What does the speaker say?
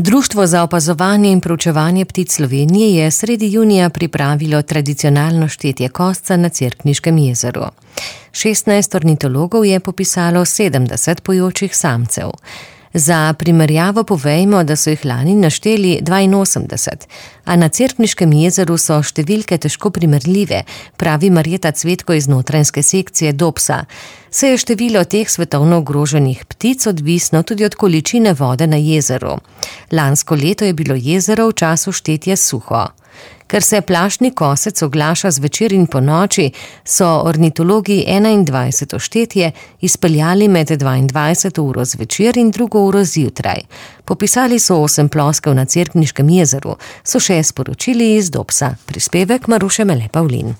Društvo za opazovanje in proučevanje ptic Slovenije je sredi junija pripravilo tradicionalno štetje kosca na Cerkniškem jezeru. 16 ornitologov je popisalo 70 pojočih samcev. Za primerjavo povejmo, da so jih lani našteli 82, a na Cerkniškem jezeru so številke težko primerljive, pravi Marjeta Cvetko iz notranjske sekcije Dobsa. Se je število teh svetovno ogroženih ptic odvisno tudi od količine vode na jezeru. Lansko leto je bilo jezero v času štetja suho. Ker se plašni kosec oglaša zvečer in ponoči, so ornitologi 21. štetje izpeljali med 22. uro zvečer in 2. uro zjutraj. Popisali so 8 ploskev na Cerkniškem jezeru, so še sporočili iz Dobsa. Prispevek Maruše Mele Pavlin.